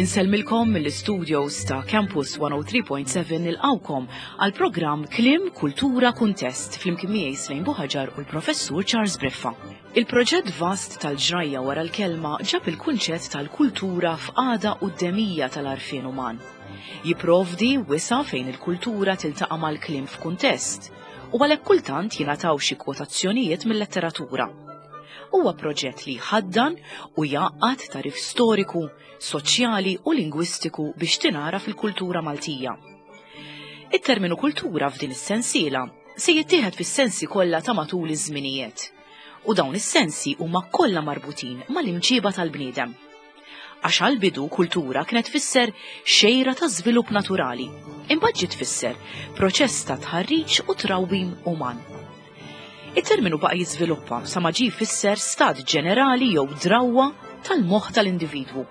Insellmilkom mill-istudios ta' Campus 103.7 nilqawkom għal programm Klim Kultura Kuntest flimkien miegħi Slejn Buħaġar u l-Professur Charles Briffa. Il-proġett vast tal-ġrajja wara l-kelma ġab il-kunċett tal-kultura f'qagħda quddemija tal-għarfien uman. Jipprovdi wisa' fejn il-kultura tiltaqa' mal-kliem f'kuntest u għalhekk kultant jingħataw xi kwotazzjonijiet mil-letteratura. Huwa proġett li jħaddan u jgħaqqad tagħrif storiku, soċjali u lingwistiku biex tingħaraf il-kultura Maltija. It-terminu kultura f'din is-sensiela se jittieħed fis-sensi kollha ta' matul iż-żminijiet u dawn is-sensi huma kollha marbutin mal-imġiba tal-bniedem. Għax għall-bidu kultura kienet tfisser xejra ta' żvilupp naturali, imbagħad ġiet tfisser proċess ta' tħarriġ u trawwim uman. It-terminu baqa' jiżviluppa sa ma ġie jfisser stat ġenerali jew drawwa tal-moħħ tal-individwu.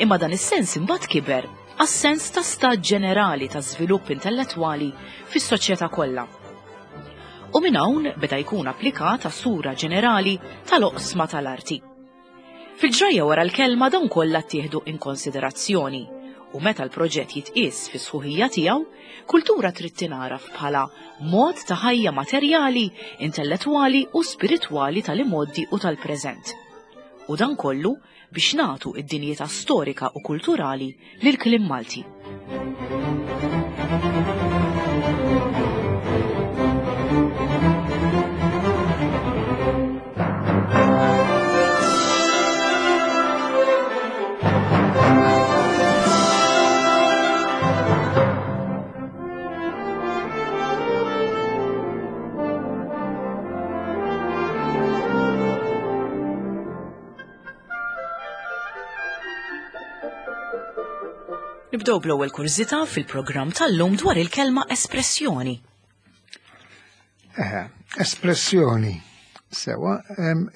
Imma dan is-sens imbagħad kiber għas-sens ta' stat ġenerali ta' żvilupp intellettwali fis-soċjetà kollha. U minn hawn beda jkun applikat għas-sura ġenerali tal-oqsma tal-arti. Fil-ġrajja wara l-kelma dawn kollha ttieħdu in konsiderazzjoni u meta l-proġett jitqies fis-sħuħija tiegħu, kultura trid tingħaraf bħala mod ta' ħajja materjali, intellettwali u spiritwali tal-imgħoddi u tal-preżent. U dan kollu biex nagħtu id-dinjità storika u kulturali lill-kliem Malti. Nibdew bl-ewwel kurżità fil-programm tal-lum dwar il-kelma espressjoni. Eh, espressjoni. Sewa,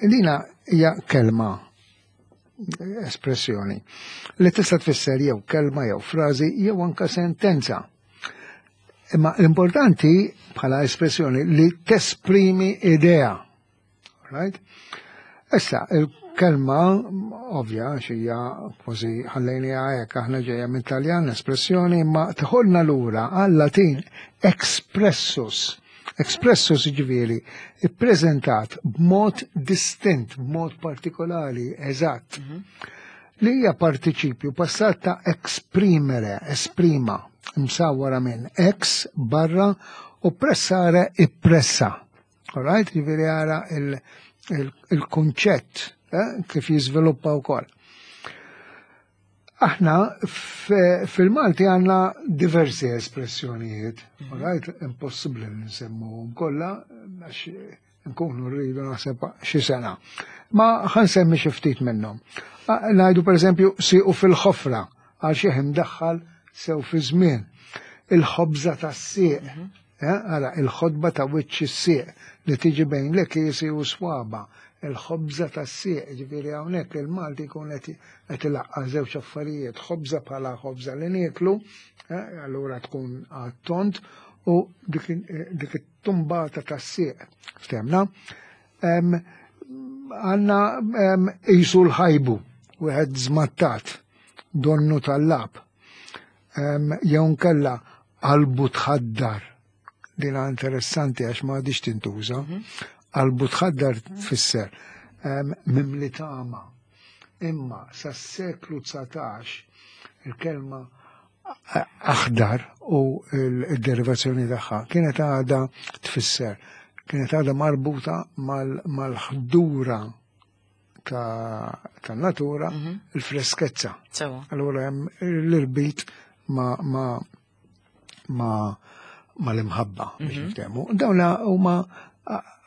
dina hija kelma espressjoni li tista' tfisser jew kelma jew frażi jew anka sentenza. Imma l-importanti bħala espressjoni li tesprimi idea. Right? Issa, il-kelma, ovvja, xija kważi ħallejni hekk aħna ġejja minn Taljan espressjoni, imma tħolna lura għal-Latin expressus. Expressus ġifieri ippreżentat b'mod distint, b'mod partikolari, eżatt. Mhm. Li hija partiċipju passat ta' exprimere, esprima, msawwara minn ex barra u pressare ippressa. All right, ġifieri ara il-kunċett eh, kif jiżviluppa wkoll. Aħna fil-Malti għandna diversi espressjonijiet, mhm. all right, impossibbli li nsemmuhom kollha għax nkunu rridu naħseb xi sena. Ma ħansemmi xi ftit minnhom. Ngħidu pereżempju siqu fil-ħofra għal xi imdaħħal sew fi żmien. Il-ħobża tas-sieq. Mhm. Ara, il-ħotba ta' wiċċ is-sieq li tiġi bejn l-ekiesi u swaba, il-ħobża tas-sieq, ġifieri hawnhekk il-Malti jkun qed ilaqqa' żewġ affarijiet, ħobża bħala ħobża li nieklu, allura tkun għat-tond, u dik it-tumbata tas-sieq. Ftemna? Għandna qisu l-ħajbu, wieħed żmattat, donnu tal-lab. Jew nkella qalbu tħaddar. Dina interessanti għax ma għadix tintuża. Mhm. Qalbu tħaddar tfisser mimli tama. Imma sas-seklu 19 il-kelma aħdar u l-derivazzjoni tagħha kienet għadha tfisser kienet għadha marbuta mal-ħdura ta' natura mhm. il-freskezza. Allura hemm l-irbit ma ma ma ma l-imħabba biex mhm. niftehmu. Dawna huma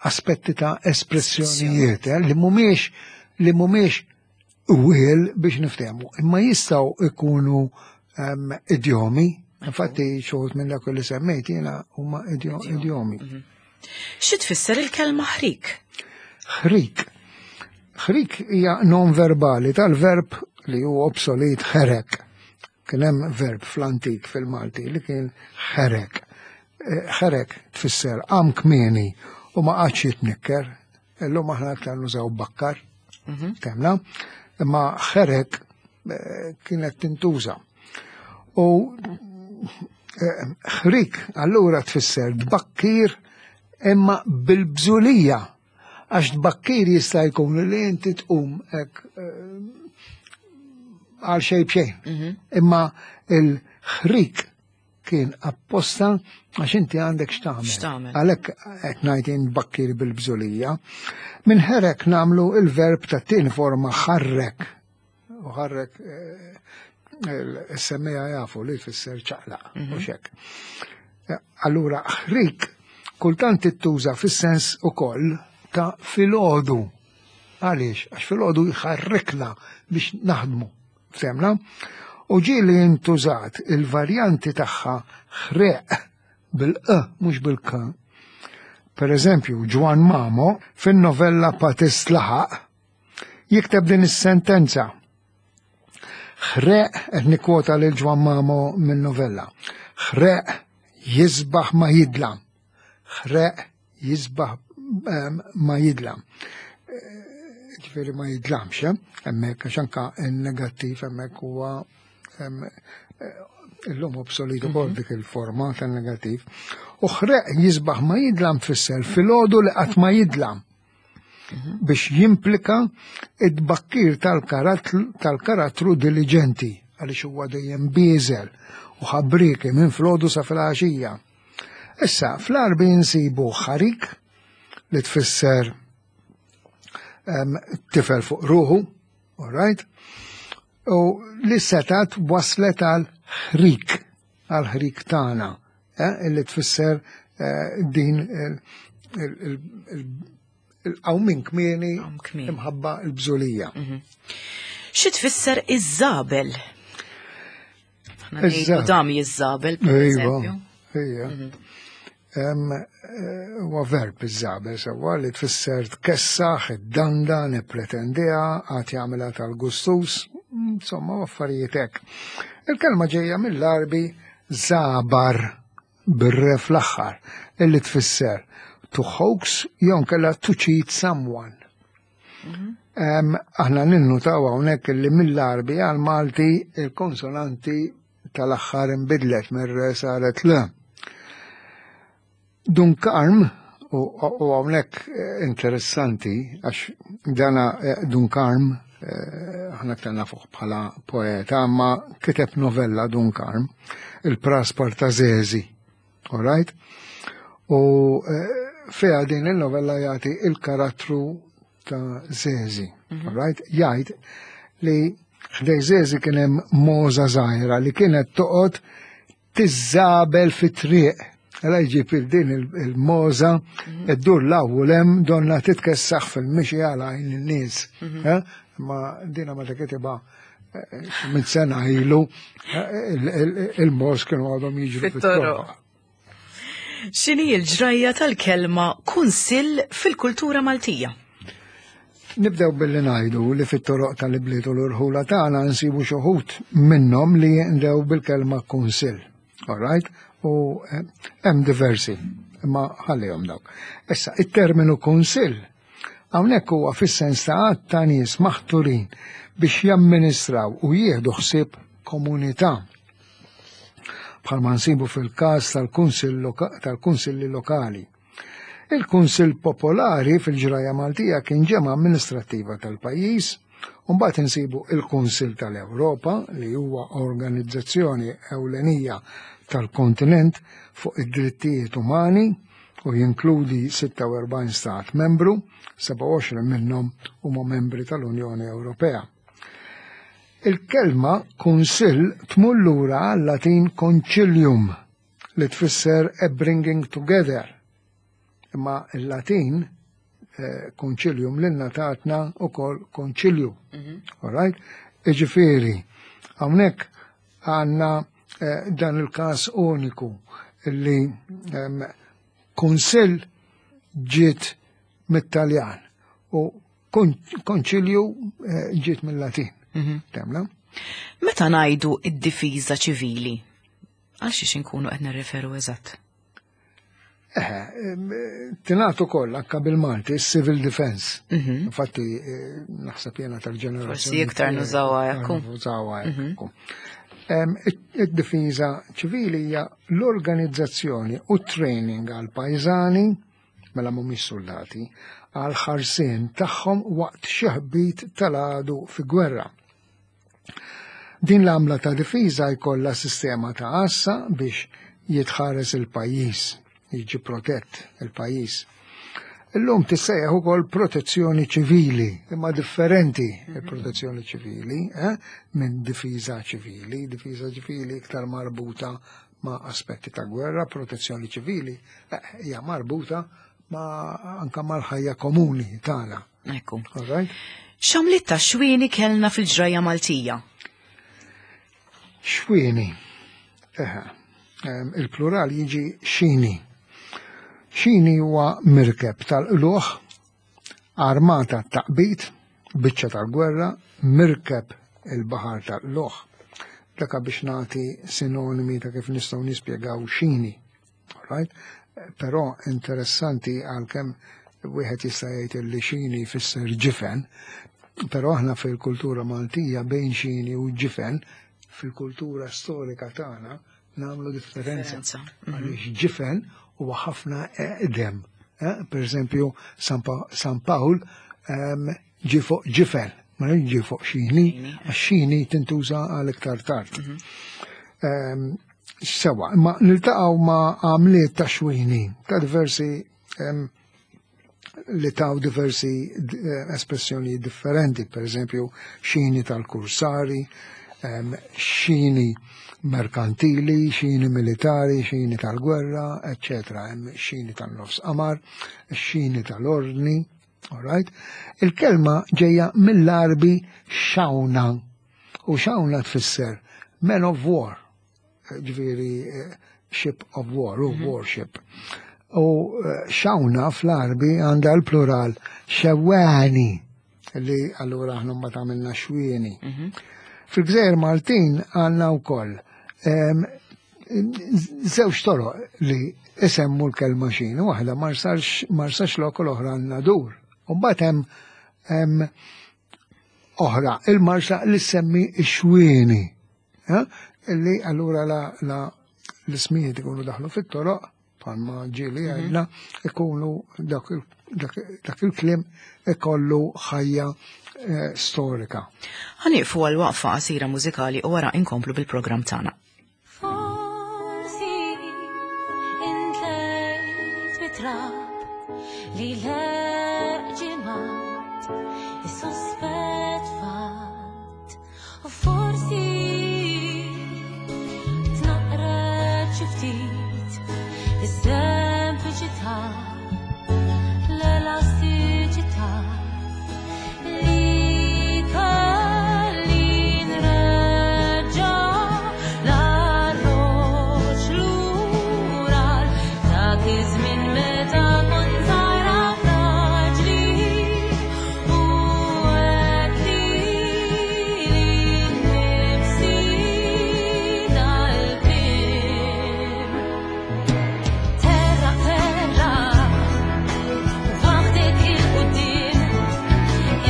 aspetti ta' espressjonijiet eh, li mhumiex li mhumiex wiel biex niftehmu, imma jistgħu ikunu ehm, idjomi, infatti xogħol minn dak li semmejt jiena huma idjomi. Mhm. Xi tfisser il-kelma ħrik? Ħrik. Ħrik hija non verbali tal-verb li hu obsolet ħerek. Kien hemm verb fl-antik fil-Malti li kien ħerek. Eh, ħerek tfisser qam kmieni u ma qagħadx jitnikker. Illum aħna aktar nużaw bakkar. Mhm. Temna. Imma ħerek. eh, kienet tintuża. U eh, ħrik allura tfisser tbakkir imma bil-bżulija għax tbakkir jista' jkun li inti tqum hekk eh, għal xejn b'xejn. Mhm. Imma il-ħrik kien apposta għax inti għandek x'tagħmel. Għalhekk qed ngħid inbakkir bil-bżulija. Minn ħerek nagħmlu il-verb ta' tieni forma ħarrek. U ħarrek eh, il-semmija jafu li jfisser ċaqlaq u mhm. xek. Eh, allura ħrik kultant tittuża fis-sens ukoll ta' filgħodu. Għaliex? Għax filgħodu jħarrikna biex naħdmu. Femna? U ġieli intużat il-varjanti tagħha ħreq bil-q mhux bil-k. Per eżempju, Ġwan Mamo fin-novella Patist Laħaq jikteb din is-sentenza. Ħreq qed nikkwota lil Ġwan Mamo min-novella. Ħreq jisbaħ ma jidlam. Ħreq jisbaħ ehm, ma jidlam. Eh, ġifieri ma jidlamx, eh, hemmhekk għax anka n-negattiv hemmhekk huwa ehm, eh, illum obsolit ukoll mhm. dik il-forma tan-negattiv. U ħreq jisbaħ ma jidlam tfisser filgħodu li qatt ma jidlam mhm. biex jimplika id-bakkir tal-karattru diligenti għaliex huwa dejjem bieżel u ħabriki minn flodu sa fil-għaxija. Issa, fl-Għarbi nsibu ħarik li tfisser tifel fuq ruħu, all right? U li setat waslet għal ħrik, għal ħrik tagħna, eh, li tfisser eh, din il-qawmin kmieni imħabba l-bżulija. Mhm. Xi tfisser iż-żabel? Dam jiżżabel, per iva, eżempju. Ija. Mhm. Eh, huwa verb iż-żabel sewwa li tfisser tkessaħ, id-danda, nippretendiha, għad jagħmilha tal-gustus, insomma affarijiet hekk. Il-kelma ġejja mill-Arbi żabar bir-re fl-aħħar, illi tfisser to hoax jew nkella to cheat someone. Mhm. Aħna ninnutaw hawnhekk li mill-Arbi għal Malti il-konsonanti tal-aħħar inbidlet mir-re saret l. Dun Karm, u hawnhekk eh, interessanti għax dana eh, Dun Karm eh, aħna aktar nafuh bħala poeta, ma kiteb novella Dun Karm, il-Praspar ta' Zezi, all right? U fiha din il-novella jagħti il-karattru ta' Zezi, mhm. all right? Jgħid li ħdej Zezi kien hemm moza żgħira li kienet toqgħod tiżżabel fit-triq. Għala jġib il-din il-moza, mhm. id-dur l-awwel hemm donna titkessaħ fil-mixi għala għajn in-nies. Mhm. Eh? Ma dina ma kitibha eh, minn sena ilu eh, il-moz kienu għadhom jiġru fit-toroq. X'inhi l-ġrajja tal-kelma kunsill fil-kultura Maltija? Nibdew billi ngħidu li fit-toroq tal-ibliet u l-irħula tagħna nsibu xi wħud minnhom li jinqdew bil-kelma kunsill. All right? U eh, hemm diversi, imma ħallihom dawk. Issa, it-terminu kunsill hawnhekk huwa fis-sens ta' għadd ta' nies maħturin biex jamministraw u jieħdu ħsieb komunità. Bħalma nsibu fil-każ tal-kunsilli lokali. Il-Kunsill Popolari fil-ġraja Maltija kien ġemgħa amministrattiva tal-pajjiż, u mbagħad insibu il-Kunsill tal-Ewropa li huwa organizzazzjoni ewlenija tal-kontinent fuq id-drittijiet umani u jinkludi 46 stat membru, 27 minnhom huma membri tal-Unjoni Ewropea. Il-kelma kunsill tmur lura għal-Latin concilium li tfisser a bringing together. Imma il-Latin eh, concilium lilna tatna ukoll konċilju. Mhm. All right? Iġifieri, hawnhekk għandna eh, dan il-każ uniku li ehm, kunsill ġiet mit-Taljan u konċilju eh, ġiet mill-Latin. Mhm. Temla? Meta ngħidu id-difiża ċivili, Għal xiex inkunu qed nirreferu eżatt? Eħe, tingħad ukoll anke bil-Malti civil defense. Infatti naħseb jiena tal-ġenerazzjoni. Forsi iktar nużawha hekk. Nużawha hekk. Id-difiża ċivili hija l-organizzazzjoni u training għal pajżani, mela mhumiex soldati, għal ħarsien tagħhom waqt xi ħbit tal-għadu fi gwerra. Din l-għamla ta' difiża jkollha sistema ta' għassa biex jitħares il-pajjiż, jiġi protett il-pajjiż. Illum tissejjaħ ukoll protezzjoni ċivili, imma differenti il-protezzjoni ċivili minn difiża ċivili. Difiża ċivili iktar marbuta ma' aspetti ta' gwerra, protezzjoni ċivili hija marbuta ma' anka mal-ħajja komuni tagħna. Ekku. All right? X'għamliet ta' xwieni kellna fil-ġrajja Maltija? Xwieni. Eħe. Il-plural jiġi xini. Xini huwa mirkeb tal-qluħ, armata taqbit, biċċa tal-gwerra, mirkeb il-baħar tal-qluħ. Daka biex nagħti sinonimi ta' kif nistgħu nispjegaw xini. Right? Però interessanti għalkemm wieħed jista' jgħid li xini jfisser ġifen, però aħna fil-kultura Maltija bejn xini u ġifen fil-kultura storika tagħna nagħmlu differenza. Differenza. Għaliex ġifen huwa ħafna eqdem. Per eżempju, San Pawl ġi fuq ġifen, ma ġi fuq xini, għax xini tintuża għal iktar tard. Sewa, imma niltaqgħu ma' għamliet ta' xwini, ta' diversi li taw diversi espressjoni differenti, per eżempju, xini tal-kursari, xini merkantili, xini militari, xini tal-gwerra, eccetera, hemm xini tan-nofs qamar, xini tal-ordni, all right? Il-kelma ġejja mill-Arbi xawna, u xawna tfisser man of war, ġifieri ship of war, u warship. U xawna fl-Arbi għandha l-plural xewani, li allura aħna mbagħad għamilna xwieni. Fil-Gżejjer Maltin għandna wkoll żewġ toroq li isemmu l-kelma xini, waħda Marsaxlokk u l-oħra Nadur. U mbagħad hemm oħra, il-Marsa li semmi x-xwieni, illi allura la l-ismijiet ikunu daħlu fit-toroq, bħalma ġieli għedna, ikunu dak il-kliem ikollu ħajja storika. Ħanieqfu għal waqfa qasira mużikali u wara inkomplu bil-programm tagħna. Forsi intlejt bitrab li l-ġimgħat is-sospett fatt, u forsi tnaqret xi ftit is-sempliċità, l-elastiċità li kelli nreġġa' l-arroġ lura dak iż-żmien meta kont żgħira fraġli u għedt lili nnifsi dal-kliem. Terra terra waħdek il-quddiem,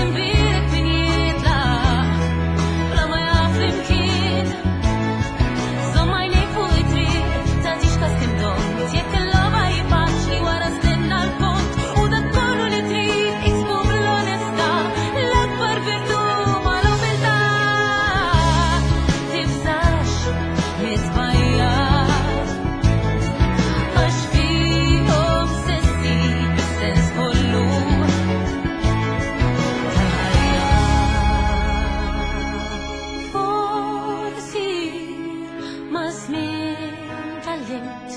imbierek min jitlaq bla ma jaf l-imkien. Żomm għajnejk fuq it-triq, tagħtix każ kemm domt, jekk il-logħba hi faċli wara stenna l-kont, u dak kollu li trid iksbu bl-onestà, l-akbar virtù mal-umiltà. Tibżax miżbajjar, għax fihom se ssib is-sens kollu tal-ħajja. Forsi ma' żmien tgħallimt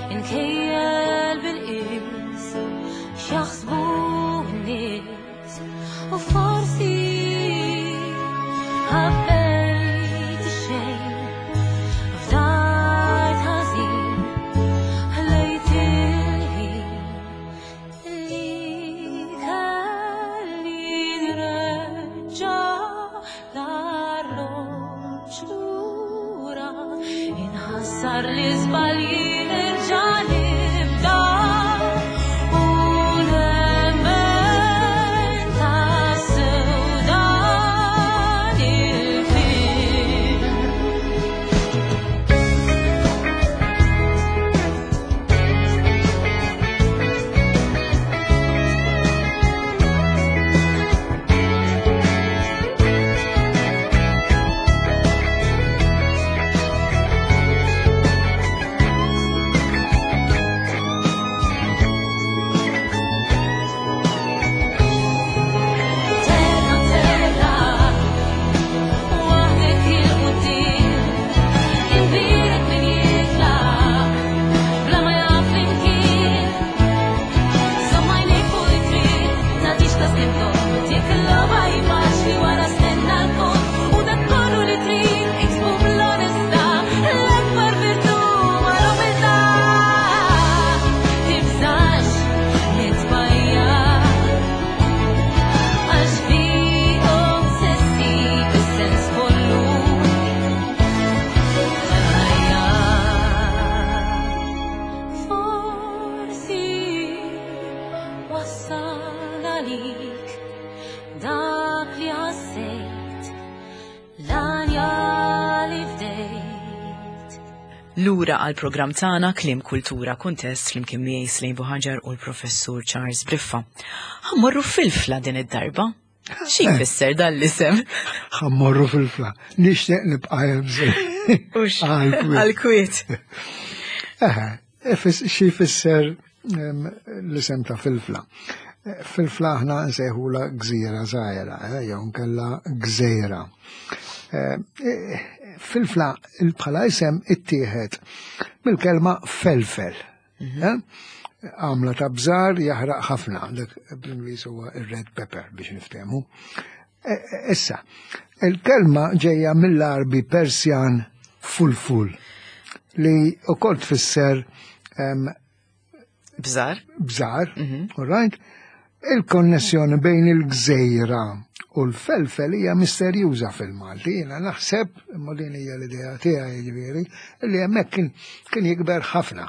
inkejjel bil-qies x'jaħsbu n-nies, u forsi ħabbejt ix-xejn, fdajt ħażin, ħlejt il-ħin li kelli nreġġa' l-arloġġ lura, inħassar l-iżbalji nerġa' nibda. Jekk il-logħba hi faċli wara stenna l-punt u dak kollu li trid iksbu bl-onestà l-akbar virtù ma l-umiltà. Tibżax nitbajja għax fihom se ssib is-sens kollu tal-ħajja. Forsi wassal għalik dak li ħassejt l-għanja li fdejt. Lura għal programm tagħna Kliem Kultura Kuntest flimkien miegħi Slejn Buħaġar u l-Professur Charles Briffa. Ħa mmorru Filfla din id-darba. Xi jfisser dan l-isem? Ħa mmorru Filfla. Nixtieq nibqa' hemm. Ux, għal-kwiet. Eħe, xi jfisser l-isem ta' Filfla? Filfla aħna nsejħula gżira żgħira, jew nkella gżejra. Filfla bħala isem ittieħed mill-kelma felfel. Għamla ta' bżar jaħraq ħafna, dak bl-Ingliż huwa ir-red pepper biex niftehmu. Issa, il-kelma ġejja mill-Arbi Persjan fulful li wkoll tfisser Bżar. Bżar, all right? Il-konnessjoni bejn il-gżejra u l-felfel hija misterjuża fil-Malti. Jiena naħseb, imma din hija l-idea tiegħi jiġifieri, li hemmhekk kien jikber ħafna.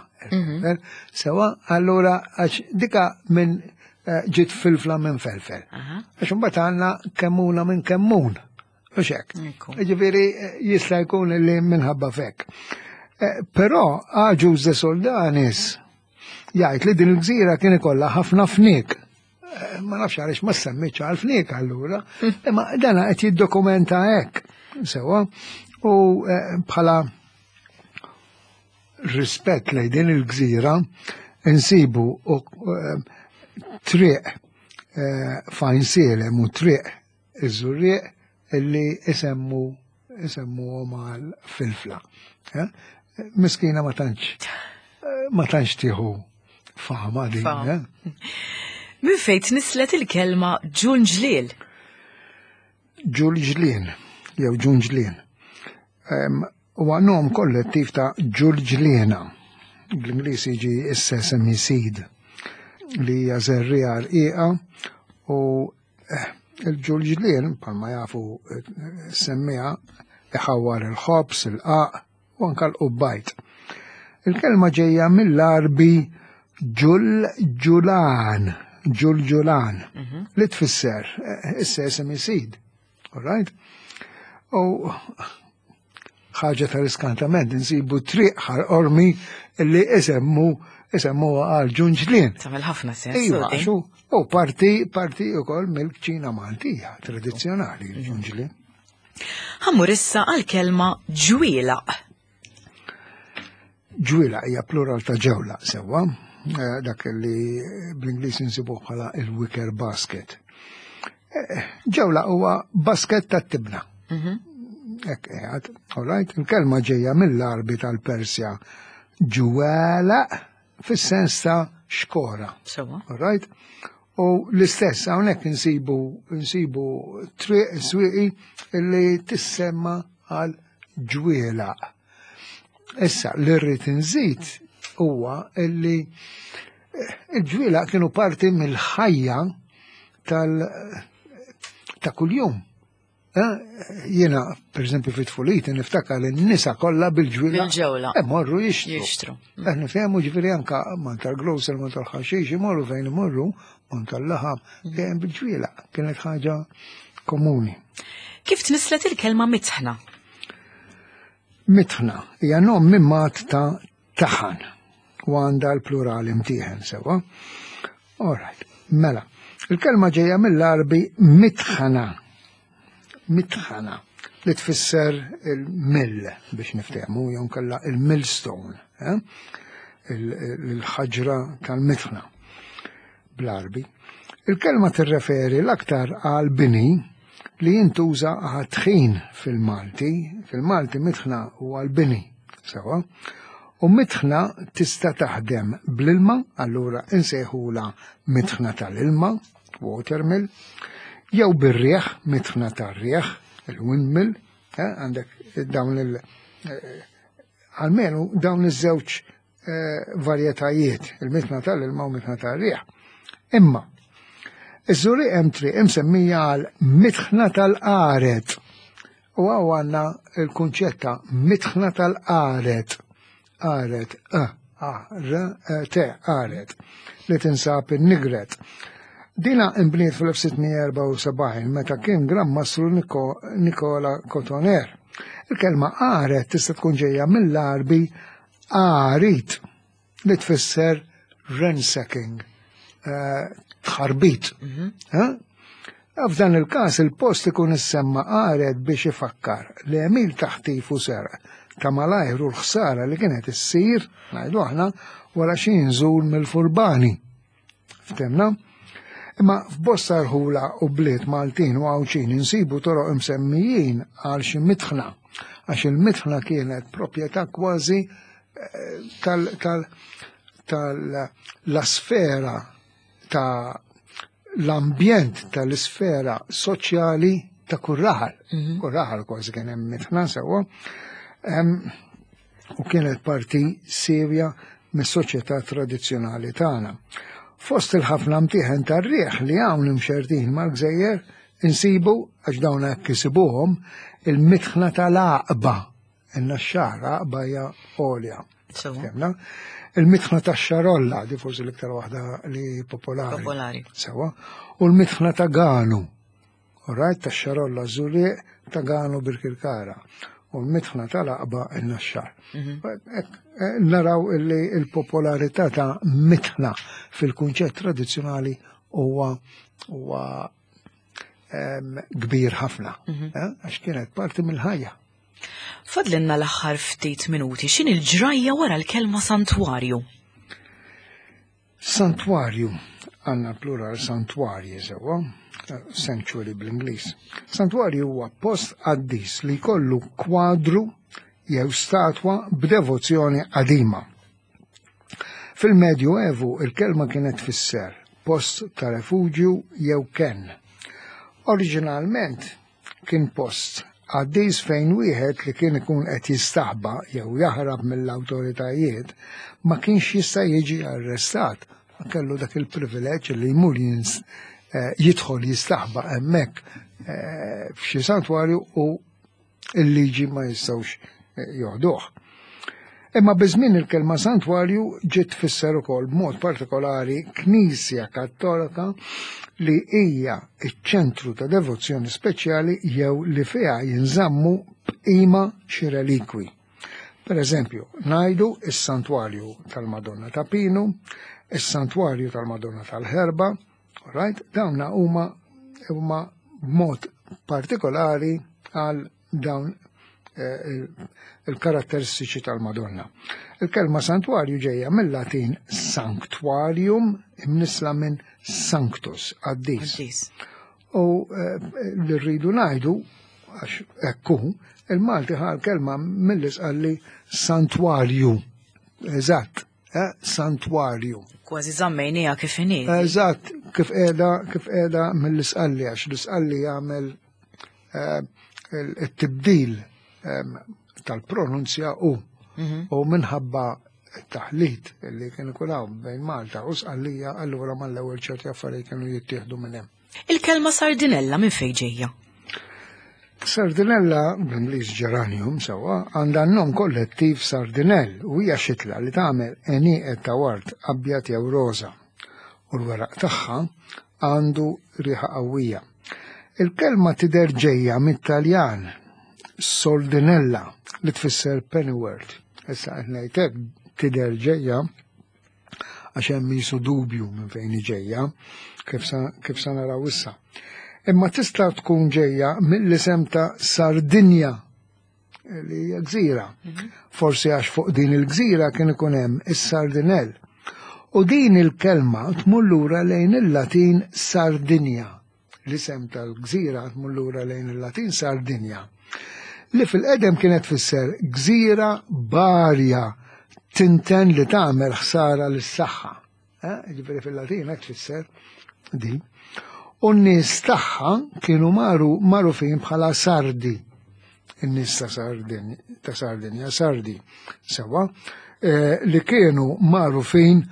Sewa, allura għax dika minn ġiet Filfla minn felfel. Għax imbagħad għandna Kemmuna minn kemmun. U xek. Ġifieri jista' jkun li minħabba fek. Però Agius de Soldanis jgħid li din il-gżira kien ikollha ħafna fniek. Ma nafx għaliex ma semmitx għal fniek allura, imma dana qed jiddokumenta hekk. Sewa, u bħala rispett lejn din il-gżira insibu triq f'Għajnsielem u triq iż-Żurrieq illi isemmu isemmuhom għal Filfla. Miskina ma tantx tieħu fama din. Min fejn tnislet il-kelma ġunġliel? Ġulġlien, jew ġunġlien. Huwa nom kollettiv ta' ġulġliena. Bl-Ingliż jiġi s-sesame seed li hija żerriegħa rqiqa u il-ġulġlien, bħalma jafu semmija, iħawwar il-ħobż, il-qaq u anka l-qubbajt. Il-kelma ġejja mill-Arbi ġulġulan, ġulġulan, li tfisser is-sesame seed. All right? U ħaġa tal-iskantament insibu triq Ħal Qormi li isemmu għal ġunġlien. Tagħmel ħafna sens. Iva, xu, u parti ukoll mill-kċina Maltija tradizzjonali l-ġunġlien. Ħa mmur issa għal-kelma ġwielaq. Ġwielaq hija plural ta' ġewla sewwa, dak li bl-Ingliż insibuh bħala il-wicker basket. Ġewla huwa basket tat-tibna. Hekk qiegħed, all right, il-kelma ġejja mill-Arbi tal-Persja ġwela fis-sens ta' xkora. Sewwa. All right? U l-istess hawnhekk insibu triq Swieqi li tissemma għal ġwielaq. Issa li rrid inżid huwa illi il-ġwielaq kienu parti mill-ħajja ta' kuljum. Jiena, per eżempju, fit-tfuliti niftakar li n-nisa kollha bil-ġwiela. Bil-ġewla. Morru jixtru. Jixtru. Nifhemu ġifieri anka man tal-grocer, man tal-ħaxix, imorru fejn imorru, man tal-laħam, dejjem bil-ġwiela. Kienet ħaġa komuni. Kif tnislet il-kelma mitħna? Mitħna hija nom mimmat ta' taħan u għandha l-plural imtieħen sewa. All right, mela. Il-kelma ġejja mill-Arbi mitħana. Mitħana li tfisser il-mill biex niftehmu, jew kella il-millstone, il-ħaġra tal-mitħna bl-Arbi. Il-kelma tirreferi l-aktar għal bini li jintuża għat-tħin fil-Malti. Fil-Malti mitħna u għal-bini, sewa. U mitħna tista' taħdem bl-ilma, allura insejħula mitħna tal-ilma, watermill, Jew bir-riħ, mitħna tar-riħ, il-windmill, eh, għandek dawn il- eh, almenu dawn iż-żewġ eh, varjetajiet, il-mitna tal-ilma u mitna tar-riħ. Imma, iż-Żurrieq hemm triq imsemmija għal mitħna tal-qaret. U hawn għandna l-kunċett ta' mitħna tal-qaret. Qaret, a, a, r, e, t, qaret, li tinsab in-Nigret. Dina imbniet fl-1674 meta kien Gran Mastru Nikola Cotoner. Il-kelma qaret tista' tkun ġejja mill-Għarbi qarit li tfisser ransacking, eh, tħarbit. Mhm. Eh? F'dan il-każ il-post ikun issemma qaret biex ifakkar li għemil taħtif u serq ta' malajr u l-ħsara li kienet issir, ngħidu aħna, wara xi nżul mill-furbani. Ftemna? Imma f'bosta rħula u bliet Maltin u Għawdxin insibu toroq imsemmijin għal xi mitħna, għax il-mitħna kienet proprjetà kważi eh, tal-sfera ta' l-ambjent tal-isfera soċjali ta' kull raħal. Mhm. Kull raħal kważi kien hemm mitħna sewwa. U kienet parti sewja mis-soċjetà tradizzjonali tagħna. Fost il-ħafna mtieħen tar-riħ li hawn imxerrdin mal-gżejjer insibu għax dawn hekk isibuhom il-mitħna tal-għaqba in-naxxar għaqba hija għolja. Fehmna? Il-mitħna tax-xarolla, di forsi l-iktar waħda li popolari. Popolari. Sewa. U l-mitħna ta' Ganu. Rajt tax-xarolla Żurrieq ta' Ganu Birkirkara u l-mitħna tal-Aqba in-Naxxar. Mhm. Eh, naraw illi il-popolarità ta' mitħna fil-kunċett tradizzjonali huwa huwa kbir ħafna, mhm. eh, għax kienet parti mill-ħajja. Fadlinna l-aħħar ftit minuti, x'in il-ġrajja wara l-kelma santwarju? Santwarju, għandna plural santwarji sewwa, sanctuary bl-Ingliż. Santwarju huwa post qaddis li jkollu kwadru jew statwa b'devozzjoni qadima. Fil-Medju Evu il-kelma kienet tfisser post ta' refuġju jew kenn. Oriġinalment kien post qaddis fejn wieħed li kien ikun qed jistaħba jew jaħrab mill-awtoritajiet ma kienx jista' jiġi arrestat. Kellu dak il-privileġġ li jmur eh, jidħol jistaħba hemmhekk eh, f'xi santwarju u il-liġi ma jistgħux eh, joħduh. Imma biż-żmien il-kelma santwarju ġiet tfisser ukoll b'mod partikolari Knisja Kattolika li hija ċ-ċentru ta' devozzjoni speċjali jew li fiha jinżammu b'qima xi relikwi. Per eżempju, ngħidu is-Santwarju tal-Madonna ta' Pinu, is-Santwarju tal-Madonna tal-Ħerba, right? Dawna huma huma b'mod partikolari għal dawn eh, il-karatteristiċi tal-Madonna. Il-kelma santwarju ġejja mill-Latin sanctuarium imnisla minn sanctus, qaddis. U eh, li rridu ngħidu għax ekku, il-Malti ħal kelma mill-isqalli santwarju. Eżatt, eh, santwarju. Kważi żammejniha kif inhi. Eżatt, kif qiegħda kif qiegħda mill-isqalli għax l-isqalli jagħmel Eh, it-tibdil ehm, tal-pronunzja u mhm. u minħabba taħlit li kien ikun hawn bejn Malta u Sqallija allura mal-ewwel ċerti affarijiet kienu jittieħdu minn hemm. Il-kelma sardinella minn fejn ġejja? Sardinella, bl-Ingliż geranium sewwa, għandha n-nom kollettiv sardinell u hija xitla li tagħmel għenieqed ta' ward abjad jew roża u l-weraq tagħha għandu riħa qawwija. Il-kelma tidher ġejja mit-Taljan soldinella li tfisser pennyworth. Issa qed ngħid hekk tidher ġejja għax hemm jisu dubju minn fejn ġejja kif sa, kif sa naraw issa. Imma tista' tkun ġejja mill-isem ta' Sardinja li hija gżira. Mhm. Forsi għax fuq din il-gżira kien ikun hemm is-sardinell. U din il-kelma tmur lura lejn il-Latin Sardinja. L-isem tal-gżira tmur lura lejn il-Latin Sardinja. Li fil-qedem kienet tfisser gżira barja tinten li tagħmel ħsara lis-saħħa. Eh, ġifieri fil-Latin hekk tfisser din. U n-nies tagħha kienu maru magħrufin bħala Sardi. In-nies ta' Sardin, ta' Sardinja, Sardi, sewa, eh, li kienu magħrufin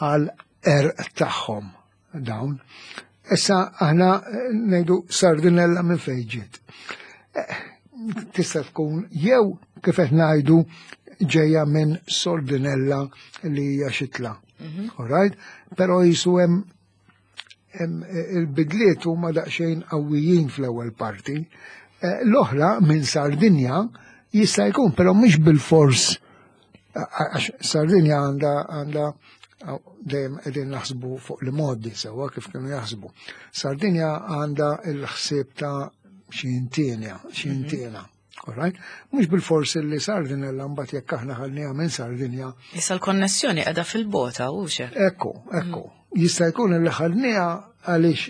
għal erq tagħhom dawn. Issa aħna eh, ngħidu sardinella minn fejn ġiet. Eh, tista' tkun jew kif qed ngħidu ġejja minn sordinella li hija xitla. Mhm. All right? Però jisu hemm il-bidliet huma daqsxejn qawwijin fl-ewwel parti. Eh, l-oħra minn Sardinja jista' jkun, però mhux bil-fors għax Sardinja għandha għandha dejjem qegħdin naħsbu fuq li modi sewwa kif kienu jaħsbu. Sardinja għandha l-ħsieb ta' xi intienja, xi mhm. intiena. Alright? Mhux bil-fors li Sardinella mbagħad jekk aħna ħalniha minn Sardinja. Issa l-konnessjoni qiegħda fil-bota u xe. Ekku, ekku. Mm. Jista' jkun li ħalniha għaliex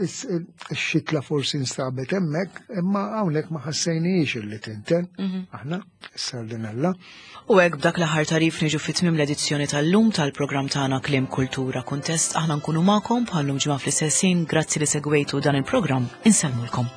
ix-xitla forsi nstabet hemmhekk, imma hawnhekk ma ħassejnijiex illi tinten mhm. aħna s-sardinella. U hekk b'dak l-aħħar tarif niġu fi tmiem l-edizzjoni tal-lum tal-programm tagħna Kliem Kultura Kuntest aħna nkunu magħkom bħallum ġimgħa fl-istess ħin grazzi li segwejtu dan il-programm insellmulkom.